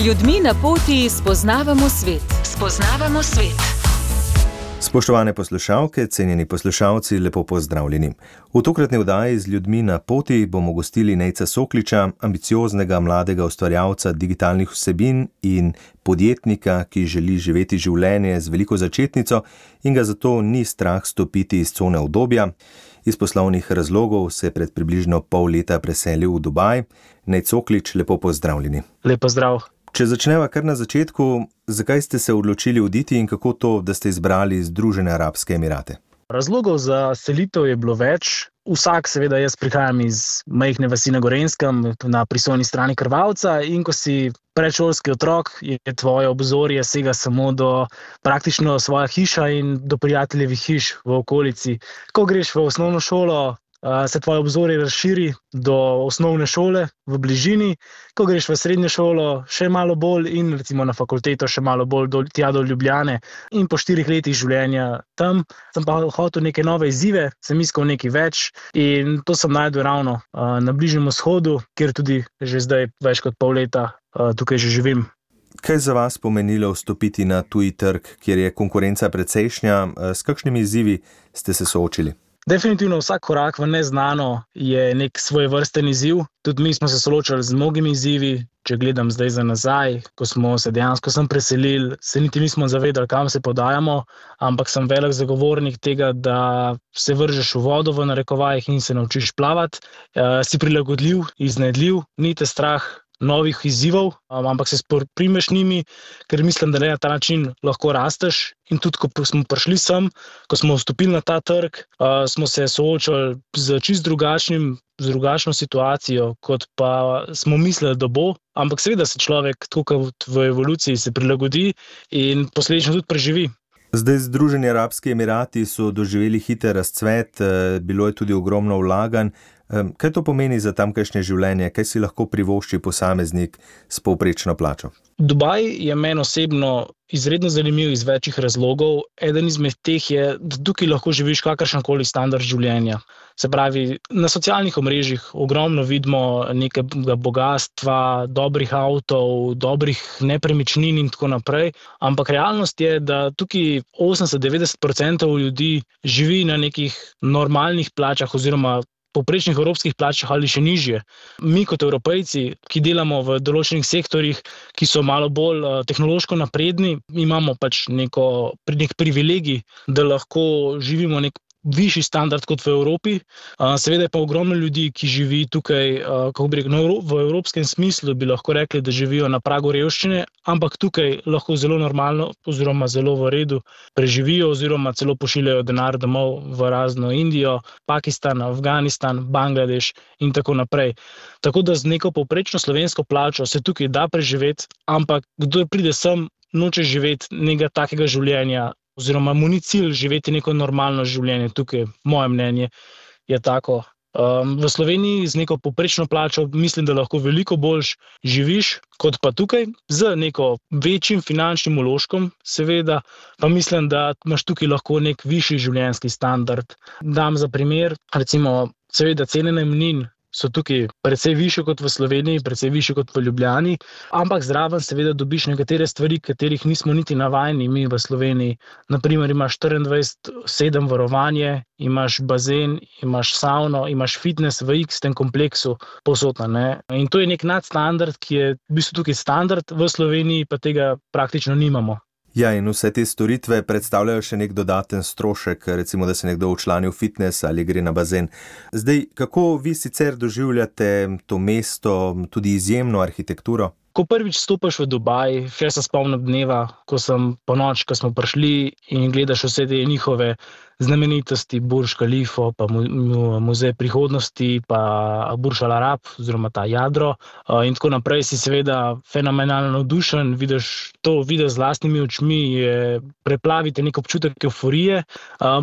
ljudmi na poti spoznavamo svet. Spoznavamo svet. Spoštovane poslušalke, cenjeni poslušalci, lepo pozdravljeni. V tokratni oddaji z ljudmi na poti bomo gostili Nejca Sokliča, ambicioznega mladega ustvarjalca digitalnih vsebin in podjetnika, ki želi živeti življenje z veliko začetnico in ga zato ni strah stopiti iz cone udobja. Iz poslovnih razlogov se je pred približno pol leta preselil v Dubaj. Nejc Soklič, lepo pozdravljeni. Lep pozdrav. Če začneva kar na začetku, zakaj ste se odločili oditi in kako to, da ste izbrali Združene arabske emirate? Razlogov za selitev je bilo več. Vsak, seveda, jaz prihajam iz majhne vasi na Gorenjskem, na prisojni strani Krvavca, in ko si predšolski otrok, je tvoje obzorje sega samo do praktično svoja hiša in do prijateljevih hiš v okolici. Ko greš v osnovno šolo, se tvoje obzorje razširi do osnovne šole v bližini, ko greš v srednjo šolo še malo bolj in recimo na fakulteto še malo bolj tja do Ljubljane. In po 4 letih življenja tam sem pa hotel neke nove izzive, sem iskal nekaj več in to sem našel ravno na Bližnjem vzhodu, kjer tudi že zdaj več kot pol leta tukaj že živim. Kaj za vas pomenilo vstopiti na tuji trg, kjer je konkurenca precejšnja? S kakšnimi izzivi ste se soočili? Definitivno vsak korak v neznano je nek svojevrsten izziv. Tudi mi smo se soočali z mnogimi izzivi. Če gledam zdaj za nazaj, ko smo se dejansko sem preselili, se niti nismo zavedali, kam se podajamo, ampak sem velik zagovornik tega, da se vržeš v vodo v narekovajih in se naučiš plavati. Si prilagodljiv, iznajdljiv, ni te strah novih izzivov, ampak se primeš njimi, ker mislim, da na ta način lahko rasteš. In tudi, ko smo prišli sem, ko smo vstopili na ta trg, smo se soočali z čist drugačno situacijo, kot pa smo mislili, da bo. Ampak seveda se človek, tako kot v evoluciji, se prilagodi in posledično tudi preživi. Zdaj Združeni arabski emirati so doživeli hiter razcvet, bilo je tudi ogromno vlaganj. Kaj to pomeni za tamkajšnje življenje? Kaj si lahko privošči posameznik s povprečno plačo? Dubaj je meni osebno izredno zanimiv iz večjih razlogov. Eden izmed teh je, da tukaj lahko živiš kakršenkoli standard življenja. Se pravi, na socialnih omrežjih ogromno vidimo nekega bogastva, dobrih avtov, dobrih nepremičnin in tako naprej, ampak realnost je, da tukaj 80-90% ljudi živi na nekih normalnih plačah oziroma povprečnih evropskih plačah ali še nižje. Mi kot Evropejci, ki delamo v določenih sektorjih, ki so malo bolj tehnološko napredni, imamo pač nek privilegij, da lahko živimo nek višji standard kot v Evropi. Seveda je pa ogromno ljudi, ki živi tukaj, v evropskem smislu bi lahko rekli, da živijo na pragu revščine, ampak tukaj lahko zelo normalno oziroma zelo v redu preživijo oziroma celo pošiljajo denar domov v razno Indijo, Pakistan, Afganistan, Bangladeš in tako naprej. Tako da z neko povprečno slovensko plačo se tukaj da preživeti, ampak kdor pride sem, noče živeti nekega takega življenja, oziroma mu ni cilj živeti neko normalno življenje tukaj, moje mnenje je tako. V Sloveniji z neko povprečno plačo mislim, da lahko veliko bolj živiš kot pa tukaj, z neko večjim finančnim vložkom, seveda, pa mislim, da imaš tukaj lahko nek višji življenjski standard. Dam za primer, recimo, seveda cene najemnin so tukaj precej višje kot v Sloveniji, precej višje kot v Ljubljani, ampak zraven seveda dobiš nekatere stvari, katerih nismo niti navajeni mi v Sloveniji. Naprimer, imaš 24/7 varovanje, imaš bazen, imaš savno, imaš fitness v X-tem kompleksu povsod, ne. In to je nek nadstandard, ki je v bistvu tukaj standard, v Sloveniji pa tega praktično nimamo. Ja, in vse te storitve predstavljajo še nek dodaten strošek, recimo, da se nekdo včlani v fitness ali gre na bazen. Zdaj, kako vi sicer doživljate to mesto, tudi izjemno arhitekturo? Ko prvič stopiš v Dubaj, še se spomnim dneva, ko smo prišli in gledaš vse te njihove znamenitosti, Burj Khalifa, pa muzej prihodnosti, pa Burj Al Arab, oziroma ta jadro in tako naprej, si seveda fenomenalno navdušen, vidiš z lastnimi očmi, preplavite nek občutek evforije,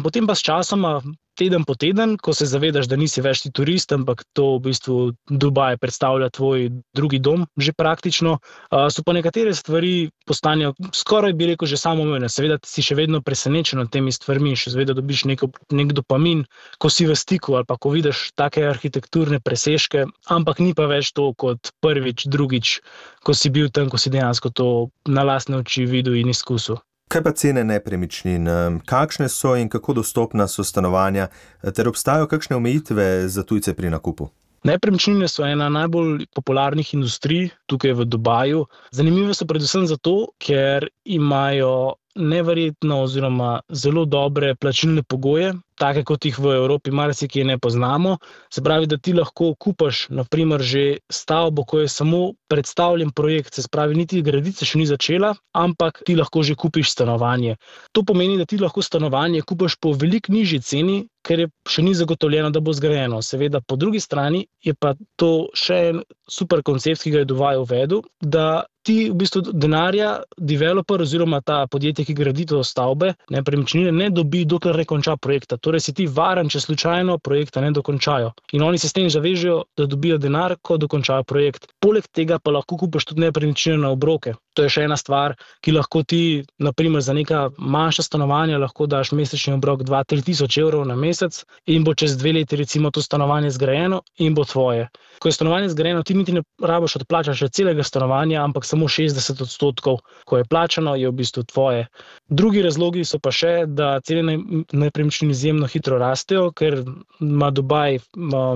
potem pa s časoma teden po teden, ko se zavedaš, da nisi več ti turist, ampak to v bistvu Dubaj predstavlja tvoj drugi dom, že praktično. So pa nekatere stvari postanejo skoraj, bi rekel, že samoumevne. Seveda si še vedno presenečen nad temi stvarmi, še vedno dobiš nek dopamin, ko si v stiku ali pa ko vidiš take arhitekturne presežke, ampak ni pa več to kot prvič, drugič, ko si bil tam, ko si dejansko to na lastne oči videl in izkusil. Kaj pa cene nepremičnin? Kakšne so in kako dostopna so stanovanja, ter obstajajo kakšne omejitve za tujce pri nakupu? Nepremičnine so ena najbolj popularnih industrij tukaj v Dubaju. Zanimive so predvsem zato, ker imajo neverjetno oziroma zelo dobre plačilne pogoje, take kot jih v Evropi marsikje ne poznamo. Se pravi, da ti lahko kupaš na primer že stavbo, ko je samo predstavljen projekt, se pravi, niti graditi še ni začela, ampak ti lahko že kupiš stanovanje. To pomeni, da ti lahko stanovanje kupaš po veliko nižji ceni, ker je še ni zagotovljeno, da bo zgrajeno. Seveda, po drugi strani je pa to še en super koncept, ki ga je Dubaj uvedel, da ti v bistvu denarja developer oziroma ta podjetje, ki gradi to stavbe, nepremičnine, ne dobi, dokler ne konča projekta. Torej si ti varen, če slučajno projekta ne dokončajo. In oni se s tem zavežejo, da dobijo denar, ko dokončajo projekt. Poleg tega pa lahko kupaš tudi nepremičnine na obroke. To je še ena stvar, ki lahko ti, na primer, za neka manjša stanovanja lahko daš mesečni obrok 2-3 tisoč evrov na mesec in bo čez 2 leti recimo to stanovanje zgrajeno in bo tvoje. Ko je stanovanje zgrajeno, ti niti ne rabiš odplačati celega stanovanja, ampak samo 60%, ko je plačano, je v bistvu tvoje. Drugi razlogi so pa še, da cene nepremičnin izjemno hitro rastejo, ker ima Dubaj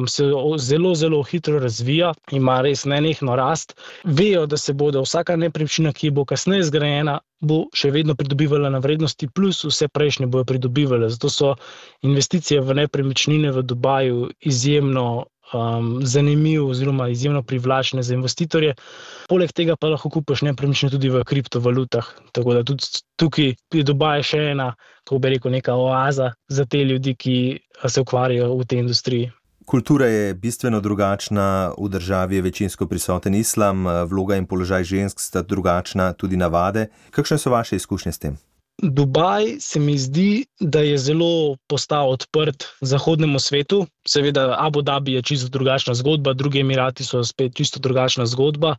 se zelo, zelo hitro razvija, ima res nenehno rast. Vejo, da se bodo vsaka nepremičnina, ki bo kasneje zgrajena, bo še vedno pridobivala na vrednosti, plus vse prejšnje bojo pridobivale. Zato so investicije v nepremičnine v Dubaju izjemno zanimiv oziroma izjemno privlačne za investitorje. Poleg tega pa lahko kupiš nepremičnine tudi v kriptovalutah. Tako da tudi tukaj je Dubaj še ena, kako bi rekel, neka oaza za te ljudi, ki se ukvarjajo v tej industriji. Kultura je bistveno drugačna, v državi je večinsko prisoten islam, vloga in položaj žensk sta drugačna, tudi navade. Kakšne so vaše izkušnje s tem? Dubaj se mi zdi, da je zelo postal odprt zahodnemu svetu. Seveda Abu Dhabi je čisto drugačna zgodba, drugi Emirati so spet čisto drugačna zgodba.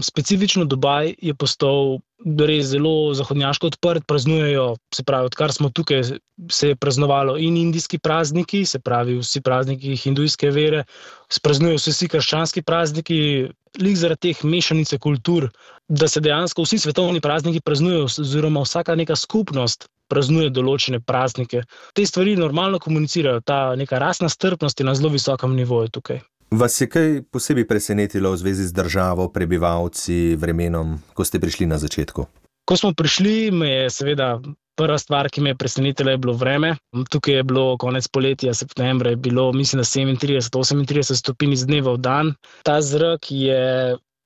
Specifično Dubaj je postal res zelo zahodnjaško odprt, praznujejo, se pravi, odkar smo tukaj, se je praznovalo in indijski prazniki, se pravi vsi prazniki hindujske vere, praznujejo se vsi krščanski prazniki, lik zaradi teh mešanice kultur, da se dejansko vsi svetovni prazniki praznujejo, oziroma vsaka neka skupnost praznuje določene praznike. Te stvari normalno komunicirajo, ta neka rasna strpnost je na zelo visokem nivoju tukaj. Vas je kaj posebej presenetilo v zvezi z državo, prebivalci, vremenom, ko ste prišli na začetku? Ko smo prišli, me je seveda prva stvar, ki me je presenetila, je bilo vreme. Tukaj je bilo konec poletja, septembra je bilo, mislim, da 37-38 stopinj iz dneva v dan. Ta zrak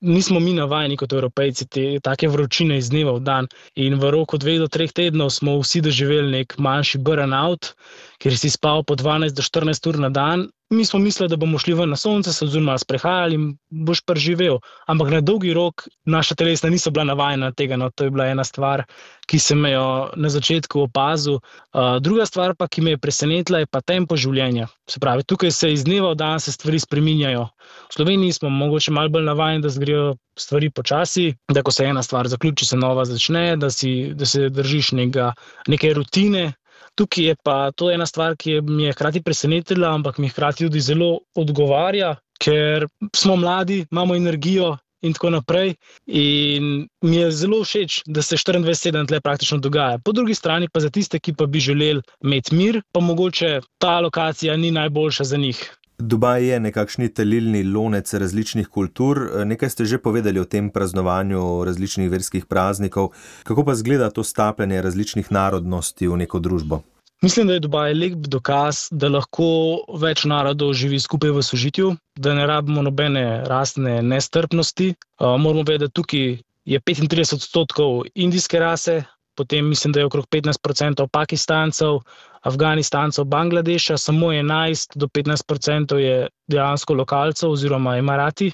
nismo mi navajeni kot Evropejci take vročine iz dneva v dan in v roku 2 do 3 tednov smo vsi doživeli nek manjši burnout, ker si spal po 12 do 14 ur na dan. Mi smo mislili, da bomo šli ven na sonce, se oziroma sprehajali in boš preživel. Ampak na dolgi rok naša telesna niso bila navajena tega, no, to je bila ena stvar, ki sem jo na začetku opazil. Druga stvar pa, ki me je presenetila, je pa tempo življenja. Se pravi, tukaj se iz dneva v dan se stvari spreminjajo. V Sloveniji smo mogoče malo bolj navajeni, da zgrejo stvari počasi, da ko se ena stvar zaključi, se nova začne, da se držiš neke rutine. Tukaj je pa to ena stvar, ki mi je hkrati presenetila, ampak mi hkrati tudi zelo odgovarja, ker smo mladi, imamo energijo in tako naprej. In mi je zelo všeč, da se 24/7 tle praktično dogaja. Po drugi strani pa za tiste, ki pa bi želeli imeti mir, pa mogoče ta lokacija ni najboljša za njih. Dubaj je nekakšni talilni lonec različnih kultur. Nekaj ste že povedali o tem praznovanju različnih verskih praznikov. Kako pa izgleda to stapljanje različnih narodnosti v neko družbo? Mislim, da je Dubaj lep dokaz, da lahko več narodov živi skupaj v sožitju, da ne rabimo nobene rasne nestrpnosti. Moramo vedeti, da tukaj je 35% indijske rase, potem mislim, da je okrog 15% Pakistancev, Afganistancev, Bangladeša, samo 11 do 15% je dejansko lokalcev oziroma Emirati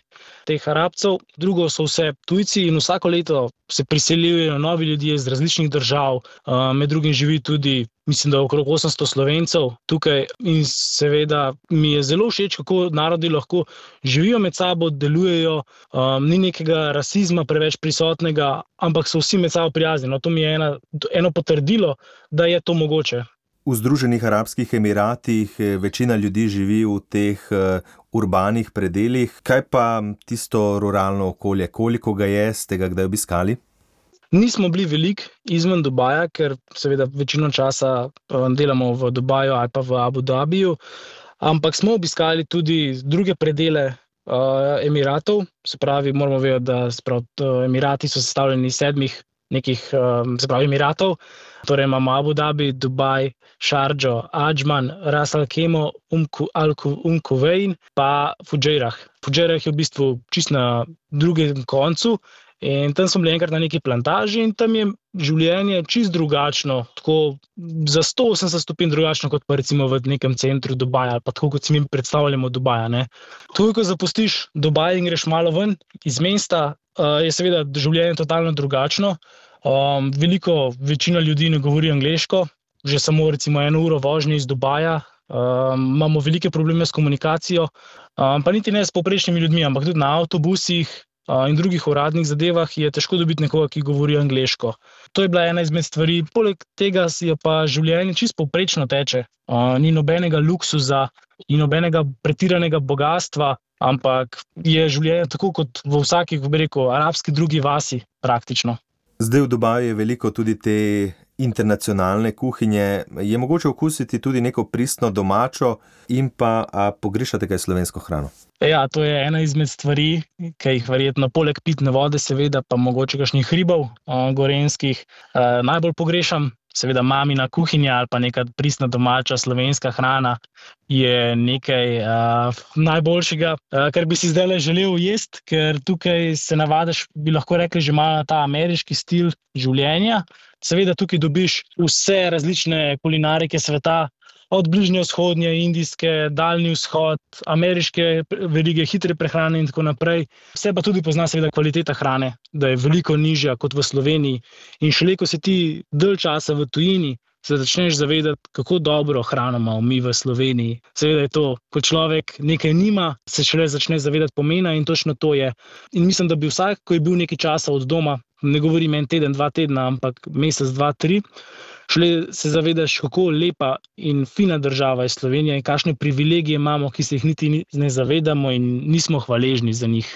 teh Arabcev. Drugo so vse tujci in vsako leto se priseljujejo novi ljudje iz različnih držav, med drugim živi tudi, mislim, da okrog 800 Slovencev tukaj in seveda mi je zelo všeč, kako narodi lahko živijo med sabo, delujejo, ni nekega rasizma preveč prisotnega, ampak so vsi med sabo prijazni. No, to mi je eno potrdilo, da je to mogoče. V Združenih arabskih Emiratih večina ljudi živi v teh urbanih predelih. Kaj pa tisto ruralno okolje? Koliko ga je, ste ga kdaj obiskali? Nismo bili veliko izven Dubaja, ker seveda večino časa delamo v Dubaju ali pa v Abu Dhabiju, ampak smo obiskali tudi druge predele Emiratov. Se pravi, moramo vedeti, da Emirati so sestavljeni iz 7 nekih Emiratov. Torej imamo Abu Dhabi, Dubaj, Šardžo, Adžman, Ras Al Khemo, Al Kuwain pa Fujairah. Fujairah je v bistvu čist na drugem koncu in tam smo bili enkrat na neki plantaži in tam je življenje čist drugačno, tako za 180 stopinj drugačno kot pa recimo v nekem centru Dubaja ali pa tako kot si mi predstavljamo Dubaja, ne. Tukaj, ko zapustiš Dubaj in greš malo ven iz mesta, je seveda življenje totalno drugačno. Večina ljudi ne govori angleško, že samo recimo 1 uro vožnje iz Dubaja. Imamo velike probleme s komunikacijo, pa niti ne s povprečnimi ljudmi, ampak tudi na avtobusih in drugih uradnih zadevah je težko dobiti nekoga, ki govori angleško. To je bila ena izmed stvari. Poleg tega je pa življenje čisto povprečno teče. Ni nobenega luksuza in nobenega pretiranega bogastva, ampak je življenje tako kot v vsaki, arabski drugi vasi praktično. Zdaj v Dubaju je veliko tudi te internacionalne kuhinje. Je mogoče okusiti tudi neko pristno domačo in pa pogrešate kaj slovensko hrano? Ja, to je ena izmed stvari, ki jih verjetno poleg pitne vode seveda pa mogoče kakšnih hribov gorenjskih najbolj pogrešam. Seveda mamina kuhinja ali pa neka pristna domača slovenska hrana je nekaj najboljšega, kar bi si zdajle želel jesti, ker tukaj se navadiš, bi lahko rekli, že malo na ta ameriški stil življenja. Seveda tukaj dobiš vse različne kulinarike sveta, od bližnje vzhodnje, indijske, daljni vzhod, ameriške verige, hitre prehrane in tako naprej. Vse pa tudi pozna seveda kvaliteta hrane, da je veliko nižja kot v Sloveniji. In šele, ko si ti dalj časa v tujini, se začneš zavedati, kako dobro hrano imamo mi v Sloveniji. Seveda je to, ko človek nekaj nima, se šele začne zavedati pomena in točno to je. In mislim, da bi vsak, ko je bil nekaj časa od doma, ne govorim 1 teden, 2 tedna, ampak mesec, 2, 3, šele se zavedaš, kako lepa in fina država je Slovenija in kakšne privilegije imamo, ki se jih niti ne zavedamo in nismo hvaležni za njih.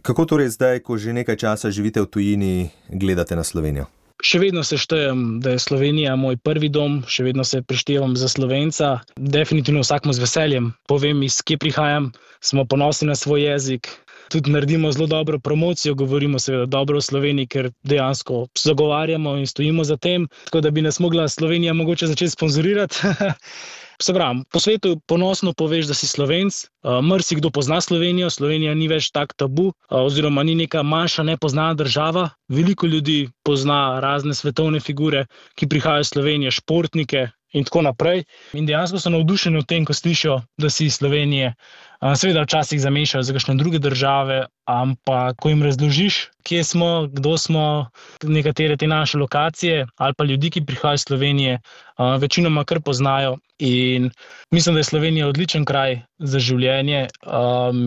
Kako torej zdaj, ko že nekaj časa živite v tujini, gledate na Slovenijo? Še vedno se štejem, da je Slovenija moj prvi dom, še vedno se preštevam za Slovenca. Definitivno vsakmu z veseljem povem, iz kje prihajam, smo ponosni na svoj jezik. Tudi naredimo zelo dobro promocijo, govorimo seveda dobro o Sloveniji, ker dejansko zagovarjamo in stojimo za tem, tako da bi nas mogla Slovenija mogoče začeti sponzorirati. Se pravi, po svetu ponosno poveš, da si Slovenc, marsikdo pozna Slovenijo, Slovenija ni več tak tabu, oziroma ni neka manjša nepoznana država. Veliko ljudi pozna razne svetovne figure, ki prihajajo iz Slovenije, športnike in tako naprej. In dejansko so navdušeni v tem, ko slišijo, da si iz Slovenije. Seveda včasih zamešajo za kakšne druge države, ampak ko jim razložiš, kje smo, kdo smo, nekatere te naše lokacije ali pa ljudi, ki prihajajo iz Slovenije, večinoma kar poznajo. In mislim, da je Slovenija odličen kraj za življenje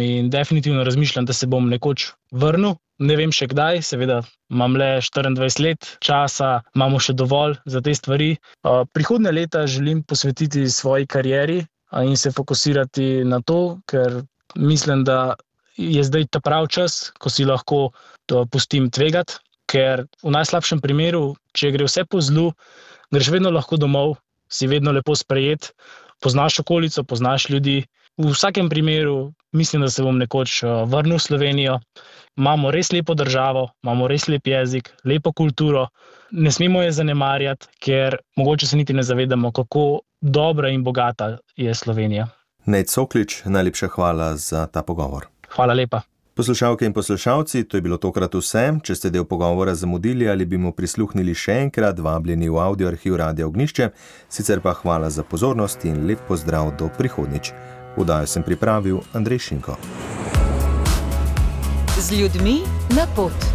in definitivno razmišljam, da se bom nekoč vrnil. Ne vem še kdaj, seveda imam le 24 let časa, imamo še dovolj za te stvari. Prihodnje leta želim posvetiti svoji karieri in se fokusirati na to, ker mislim, da je zdaj ta prav čas, ko si lahko to pustim tvegati, ker v najslabšem primeru, če gre vse po zlu, greš vedno lahko domov, si vedno lepo sprejet, poznaš okolico, poznaš ljudi. V vsakem primeru mislim, da se bom nekoč vrnil v Slovenijo. Imamo res lepo državo, imamo res lep jezik, lepo kulturo. Ne smemo je zanemarjati, ker mogoče se niti ne zavedamo, kako dobra in bogata je Slovenija. Nejc Soklič, najlepša hvala za ta pogovor. Hvala lepa. Poslušalke in poslušalci, to je bilo tokrat vse. Če ste del pogovora zamudili ali bi mu prisluhnili še enkrat, vabljeni v audio arhiv Radia Ognjišče. Sicer pa hvala za pozornost in lep pozdrav do prihodnjič. Vdajo sem pripravil Andrej Šinko. Z ljudmi na pot.